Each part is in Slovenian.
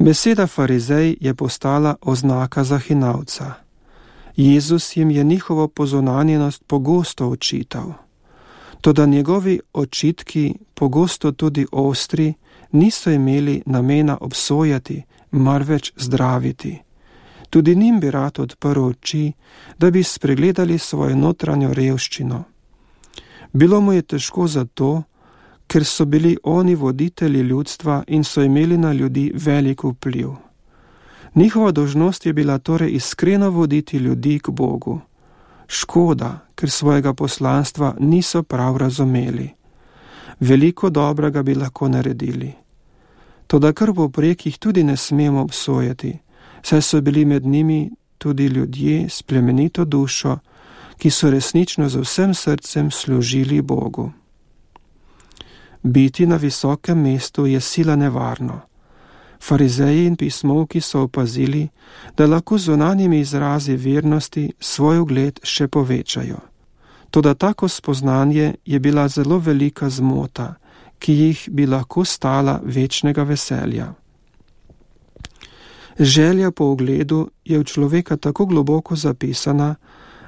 Beseda farizej je postala oznaka za hinavca. Jezus jim je njihovo pozunanjenost pogosto očital. Toda njegovi očitki, pogosto tudi ostri, niso imeli namena obsojati, marveč zdraviti. Tudi njim bi rad odprl oči, da bi spregledali svojo notranjo revščino. Bilo mu je težko zato, ker so bili oni voditelji ljudstva in so imeli na ljudi velik vpliv. Njihova dolžnost je bila torej iskreno voditi ljudi k Bogu. Škoda, ker svojega poslanstva niso prav razumeli. Veliko dobrega bi lahko naredili. Toda kar povprek jih tudi ne smemo obsojati, saj so bili med njimi tudi ljudje s plemenito dušo, ki so resnično z vsem srcem služili Bogu. Biti na visokem mestu je sila nevarno. Farizeji in pismovki so opazili, da lahko z zunanjimi izrazi vernosti svoj ugled še povečajo. Toda tako spoznanje je bila zelo velika zmota, ki jih bi lahko stala večnega veselja. Želja po ugledu je v človeka tako globoko zapisana,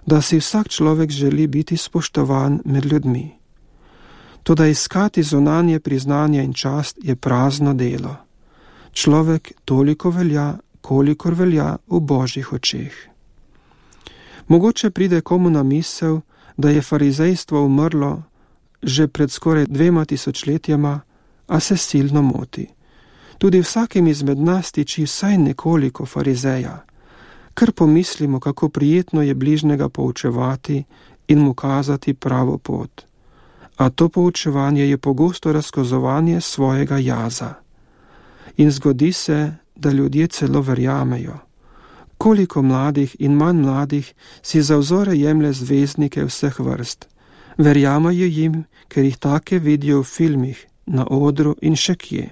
da si vsak človek želi biti spoštovan med ljudmi. Toda iskati zunanje priznanje in čast je prazno delo. Človek toliko velja, kolikor velja v Božjih očeh. Mogoče pride komu na misel, da je farizejstvo umrlo že pred skoraj 2000 letjama, a se silno moti. Tudi vsakim izmed nas tiči vsaj nekoliko farizeja. Kar pomislimo, kako prijetno je bližnjega poučevati in mu kazati pravo pot. A to poučevanje je pogosto razkazovanje svojega jaza. In zgodi se, da ljudje celo verjamejo. Koliko mladih in manj mladih si za vzore jemlje zvezdnike vseh vrst. Verjamejo jim, ker jih take vidijo v filmih, na odru in še kje.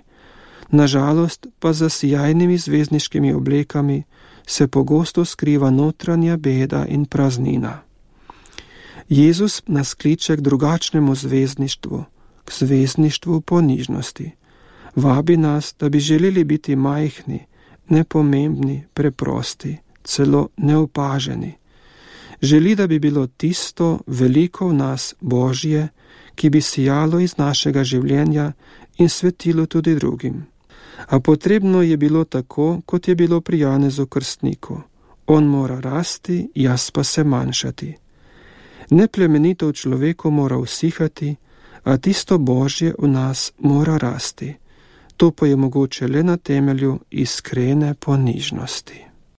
Nažalost pa za sijajnimi zvezdniškimi oblekami se pogosto skriva notranja beda in praznina. Jezus nas kliče k drugačnemu zvezdništvu, k zvezdništvu ponižnosti. Vabi nas, da bi želeli biti majhni, nepomembni, preprosti, celo neopaženi. Želi, da bi bilo tisto veliko v nas Božje, ki bi sijalo iz našega življenja in svetilo tudi drugim. A potrebno je bilo tako, kot je bilo pri Janezu Krstniku. On mora rasti, jaz pa se manjšati. Neplemenito v človeku mora usihati, a tisto Božje v nas mora rasti. To pa je mogoče le na temelju iskrene ponižnosti.